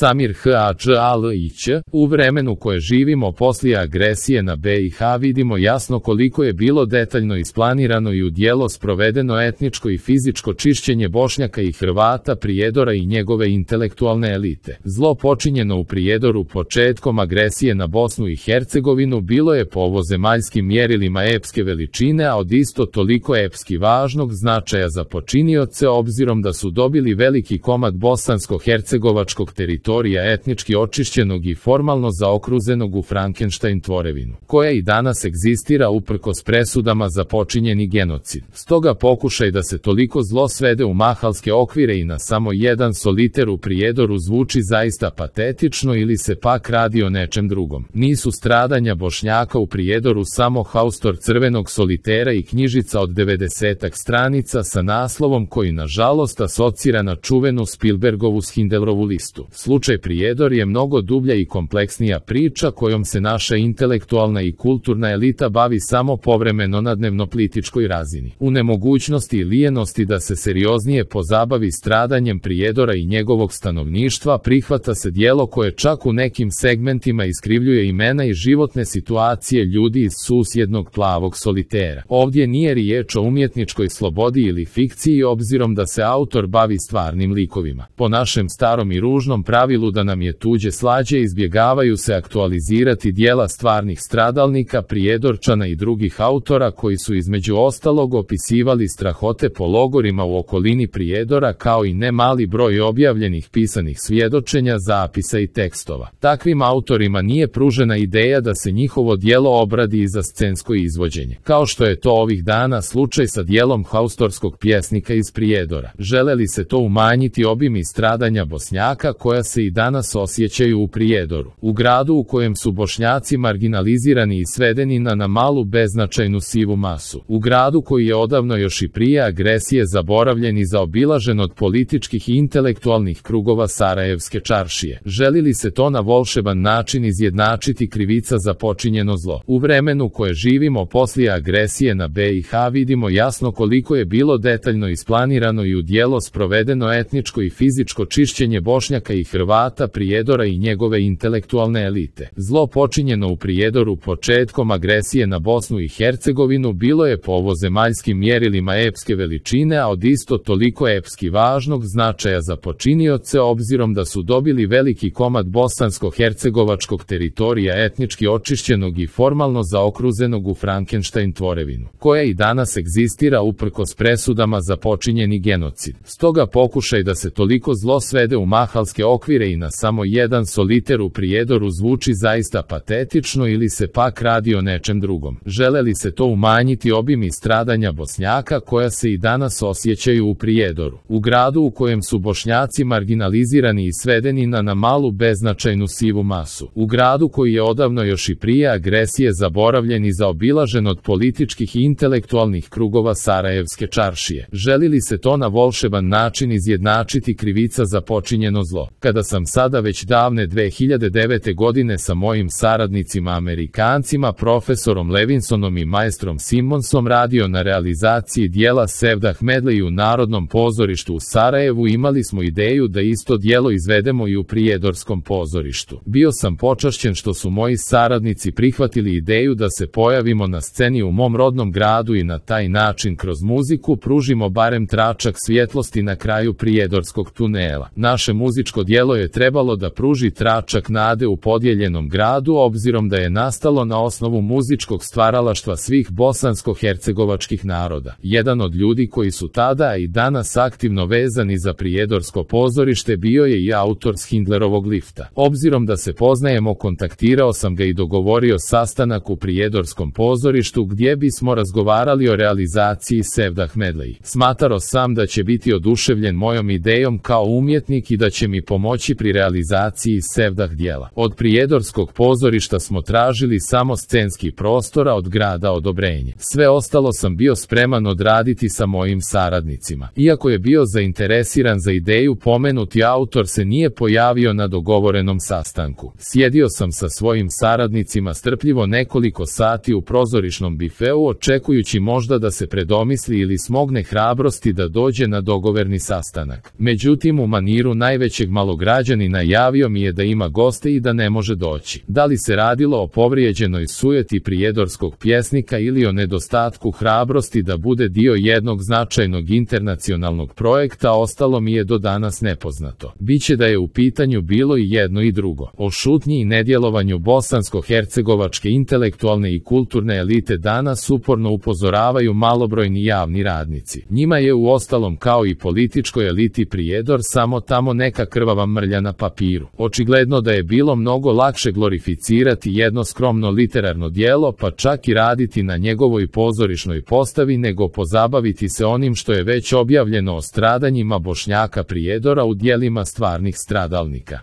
Samir Hadžalić, u vremenu koje živimo poslije agresije na BiH vidimo jasno koliko je bilo detaljno isplanirano i u djelo sprovedeno etničko i fizičko čišćenje Bošnjaka i Hrvata Prijedora i njegove intelektualne elite. Zlo počinjeno u Prijedoru početkom agresije na Bosnu i Hercegovinu bilo je po ovozemaljskim mjerilima epske veličine, a od isto toliko epski važnog značaja za počinioce obzirom da su dobili veliki komad bosansko-hercegovačkog teritorija etnički očišćenog i formalno zaokruženog u Frankenstein tvorevinu, koja i danas egzistira uprkos presudama za počinjeni genocid. Stoga pokušaj da se toliko zlo svede u mahalske okvire i na samo jedan soliter u Prijedoru zvuči zaista patetično ili se pak radi o nečem drugom. Nisu stradanja Bošnjaka u Prijedoru samo haustor crvenog solitera i knjižica od 90-ak stranica sa naslovom koji nažalost asocira na čuvenu Spielbergovu Schindlerovu listu. Slučaj Prijedor je mnogo dublja i kompleksnija priča kojom se naša intelektualna i kulturna elita bavi samo povremeno na dnevno-političkoj razini. U nemogućnosti i lijenosti da se serioznije pozabavi stradanjem Prijedora i njegovog stanovništva prihvata se djelo koje čak u nekim segmentima iskrivljuje imena i životne situacije ljudi iz susjednog plavog solitera. Ovdje nije riječ o umjetničkoj slobodi ili fikciji obzirom da se autor bavi stvarnim likovima. Po našem starom i ružnom pravilu da nam je tuđe slađe izbjegavaju se aktualizirati djela stvarnih stradalnika, Prijedorčana i drugih autora koji su između ostalog opisivali strahote po logorima u okolini Prijedora kao i ne mali broj objavljenih pisanih svjedočenja, zapisa i tekstova. Takvim autorima nije pružena ideja da se njihovo djelo obradi i za scensko izvođenje, kao što je to ovih dana slučaj sa djelom haustorskog pjesnika iz Prijedora. Žele li se to umanjiti obim i stradanja Bošnjaka koja se i danas osjećaju u Prijedoru, u gradu u kojem su Bošnjaci marginalizirani i svedeni na malu beznačajnu sivu masu, u gradu koji je odavno još i prije agresije zaboravljen i zaobilažen od političkih i intelektualnih krugova Sarajevske čaršije. Želi li se to na volšeban način izjednačiti krivica za počinjeno zlo? U vremenu koje živimo poslije agresije na BiH vidimo jasno koliko je bilo detaljno isplanirano i u djelo sprovedeno etničko i fizičko čišćenje Bošnjaka i Hrvata Prijedora i njegove intelektualne elite. Zlo počinjeno u Prijedoru početkom agresije na Bosnu i Hercegovinu bilo je po ovozemaljskim mjerilima epske veličine, a od isto toliko epski važnog značaja za počinioce obzirom da su dobili veliki komad bosansko-hercegovačkog teritorija etnički očišćenog i formalno zaokruženog u Frankenstein tvorevinu, koja i danas egzistira uprkos presudama za počinjeni genocid. Stoga pokušaj da se toliko zlo svede u mahalske okvire i na samo jedan soliter u Prijedoru zvuči zaista patetično ili se pak radi o nečem drugom. Žele li se to umanjiti obim i stradanja Bošnjaka koja se i danas osjećaju u Prijedoru, u gradu u kojem su Bošnjaci marginalizirani i svedeni na malu beznačajnu sivu masu, u gradu koji je odavno još i prije agresije zaboravljen i zaobilažen od političkih i intelektualnih krugova Sarajevske čaršije. Želi li se to na volšeban način izjednačiti krivica za počinjeno zlo? Kada sam sada već davne 2009. godine sa mojim saradnicima Amerikancima, profesorom Levinsonom i maestrom Simonsom radio na realizaciji dijela Sevdah Medley u Narodnom pozorištu u Sarajevu, imali smo ideju da isto djelo izvedemo i u Prijedorskom pozorištu. Bio sam počašćen što su moji saradnici prihvatili ideju da se pojavimo na sceni u mom rodnom gradu i na taj način kroz muziku pružimo barem tračak svjetlosti na kraju Prijedorskog tunela. Naše muzičko djelo je trebalo da pruži tračak nade u podijeljenom gradu obzirom da je nastalo na osnovu muzičkog stvaralaštva svih bosansko-hercegovačkih naroda. Jedan od ljudi koji su tada i danas aktivno vezani za Prijedorsko pozorište bio je i autor Schindlerovog lifta. Obzirom da se poznajemo, kontaktirao sam ga i dogovorio sastanak u Prijedorskom pozorištu gdje bismo razgovarali o realizaciji Sevdah Medley. Smatrao sam da će biti oduševljen mojom idejom kao umjetnik i da će mi pomoći pri realizaciji Sevdah djela. Od Prijedorskog pozorišta smo tražili samo scenski prostor, a od grada odobrenje. Sve ostalo sam bio spreman odraditi sa mojim saradnicima. Iako je bio zainteresiran za ideju, pomenuti autor se nije pojavio na dogovorenom sastanku. Sjedio sam sa svojim saradnicima strpljivo nekoliko sati u prozorišnom bifeu očekujući možda da se predomisli ili smogne hrabrosti da dođe na dogovorni sastanak. Međutim, u maniru najvećeg malograda građanina javio mi je da ima goste i da ne može doći. Da li se radilo o povrijeđenoj sujeti prijedorskog pjesnika ili o nedostatku hrabrosti da bude dio jednog značajnog internacionalnog projekta, ostalo mi je do danas nepoznato. Biće da je u pitanju bilo i jedno i drugo. O šutnji i nedjelovanju bosansko-hercegovačke intelektualne i kulturne elite danas uporno upozoravaju malobrojni javni radnici. Njima je uostalom kao i političkoj eliti Prijedor samo tamo neka krvava mrlja na papiru. Očigledno da je bilo mnogo lakše glorificirati jedno skromno literarno djelo, pa čak i raditi na njegovoj pozorišnoj postavi, nego pozabaviti se onim što je već objavljeno o stradanjima Bošnjaka Prijedora u djelima stvarnih stradalnika.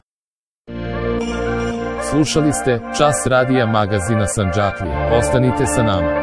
Slušali ste Čas radija magazina Sandžaklija. Ostanite sa nama.